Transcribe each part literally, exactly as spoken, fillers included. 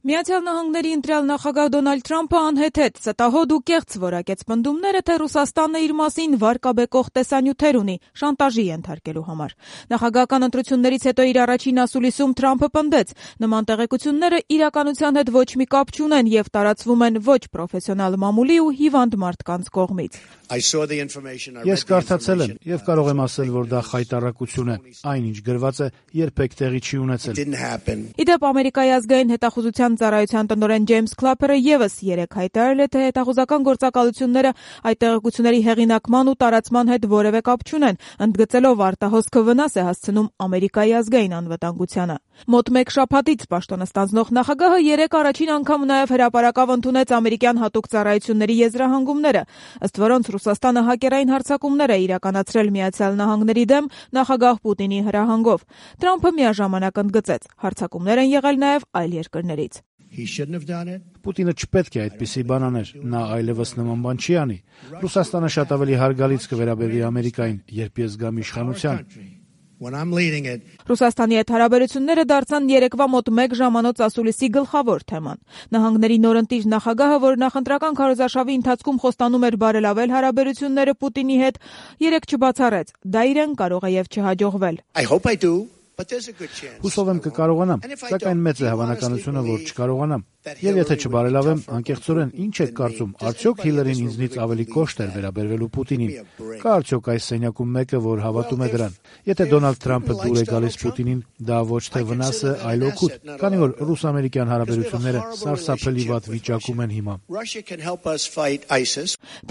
Միացյալ Նահանգների ընտրյալ նախագահ Դոնալդ Թրամփը անհեթեթ, ստահոդ ու կեղծ որակեց պնդումները, թե Ռուսաստանը իր մասին վարկաբեկող տեսանյութեր ունի շանտաժի ենթարկելու համար։ Նախագահական ընտրություններից հետո իր առաջին ասուլիսում Թրամփը պնդեց, նման տեղեկությունները իրականության հետ ոչ մի կապ չունեն եւ տարածվում են ոչ պրոֆեսիոնալ մամուլի ու հիվանդ մարդկանց կողմից։ Ես կարդացել եմ եւ կարող եմ ասել, որ դա խայտառակություն է։ Այնինչ գրված է, երբեք տեղի չի ունեցել։ Իդեպ Ամերիկայի ազգային հետախուզության ծառայության տնօրեն Ջեյմս Քլափերը եւս երեկ հայտարարել է, թե հետախուզական գործակալությունները այդ տեղեկությունների հեղինակման ու տարածման հետ որևէ կապ չունեն, ընդգծելով արտահոսքը վնաս է հասցնում Ամերիկայի ազգային անվտանգությանը։ Մոտ մեկ շաբաթից պաշտոնը ստանձնող նախագահը երեկ առաջին անգամ նաեւ հրապարակավ ընդունեց ամերիկյան հատուկ ծառայությունների եզրահանգումները, ըստ որոնց Ռուսաստանը հակերային հարձակումներ է իրականացրել Միացյալ Նահանգների դեմ նախագահ Պուտինի հրահանգով։ Թրամփը միաժամանակ ընդգծեց, հարձակումներ են եղել նաեւ այլ երկրներից։ Պուտինը չպետք է այդպիսի բան աներ, նա այլևս նման բան չի անի։ Ռուսաստանը շատ ավելի հարգալից կվերաբերվի Ամերիկային, երբ ես գամ իշխանության։ Ռուսաստանի հետ հարաբերությունները դարձան երեկվա մոտ մեկ ժամանոց ասուլիսի գլխավոր թեման։ Նահանգների նորընտիր նախագահը, որ նախընտրական քարոզարշավի ընթացքում խոստանում էր բարելավել հարաբերությունները Պուտինի հետ, երեկ չբացառեց, դա իրեն կարող է եւ չհաջողվել։ Հուսով եմ կկարողանամ, սակայն մեծ է հավանականությունը, որ չկարողանամ։ Եվ եթե չբարելավեմ, անկեղծորեն ինչ եք կարծում, արդյոք Հիլարին ինձնից ավելի կոշտ էր վերաբերվելու Պուտինին։ Կա արդյոք այս սենյակում մեկը, որ հավատում է դրան։ Եթե Դոնալդ Թրամփը դուր է գալիս Պուտինին, դա ոչ թե վնաս է, այլ օգուտ, քանի որ ռուս-ամերիկյան հարաբերությունները սարսափելի վատ վիճակում են հիմա։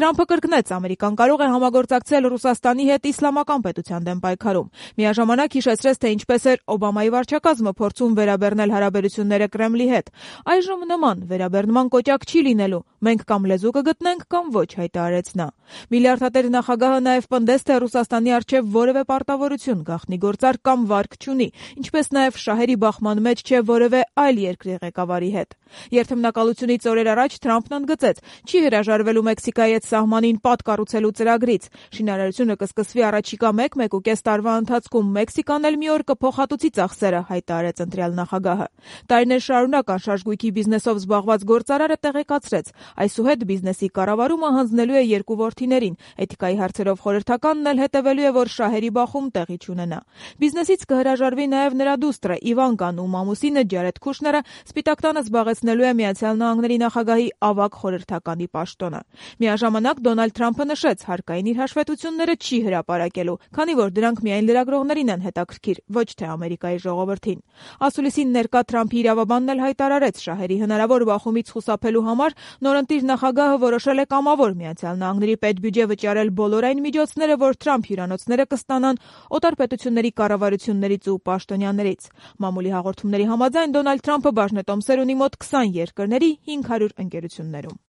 Թրամփը կրկնեց, Ամերիկան կարող է համագործակցել Ռուսաստանի հետ իսլամական պետության դեմ պայքարում։ Միաժամանակ հիշեցրեց, թե ինչպես էր Օբամայի վարչակազմը փորձում վերաբեռնել հարաբերությունները Կրեմլի հետ։ Այժմ նման վերաբեռնման կոճակ չի լինելու, մենք կամ լեզու կգտնենք, կամ ոչ, հայտարարեց նա։ Միլիարդատեր նախագահը նաև պնդեց, թե Ռուսաստանի առջև որևէ պարտավորություն, գաղտնի գործարք կամ վարկ չունի, ինչպես նաև շահերի բախման մեջ չէ որևէ այլ երկրի ղեկավարի հետ։ Երթմնակալությունից օրեր առաջ Թրամփն ընդգծեց, չի հրաժարվելու Մեքսիկայի հետ սահմանին պատ կառուցելու ծրագրից։ Շինարարությունը կսկսվի առաջիկա մեկ-մեկուկես տարվա ընթացքում, Մեքսիկան էլ մի օր կփոխհատուցի ծախսերը, հայտարարեց ընտրյալ նախագահը։ Տարիներ շարունակ անշարժ գույքի բիզնեսով զբաղված գործարարը տեղեկացրեց, այսուհետ բիզնեսի կառավարումը հանձնելու է երկու որդիներին, էթիկայի հարցերով խորհրդականն էլ հետևելու է, որ շահերի բախում տեղի չունենա։ Բիզնեսից կհրաժարվի նաև նրա դուստրը Իվանկան, ում ամուսինը Ջարեդ Քուշները Սպիտակ տանը զբաղեցնելու է Միացյալ Նահանգների նախագահի ավագ խորհրդականի պաշտոնը։ Միաժամանակ Դոնալդ Թրամփը նշեց, հարկային իր հաշվետվությունները չի հրապարակելու, քանի որ դրանք միայն լրագրողներին են հետաքրքիր, ոչ թե Ամերիկայի ժողովրդին։ Ասուլիսին ներկա Թրամփի իրավաբանն էլ հայտարարեց, շահերի հնարավոր բախումից խուսափելու համար նորընտիր նախագահը որոշել է կամավոր Միացյալ Նահանգների պետբյուջե վճարել բոլոր այն միջոցները, որ Թրամփ հյուրանոցները կստանան օտար պետությունների կառավարություններից ու պաշտոնյաներից։ Մամուլի հաղորդումների համաձայն Դոնալդ Թրամփը բաժնետոմսեր ունի մոտ քսան երկրների հինգ հարյուր ընկերություններում։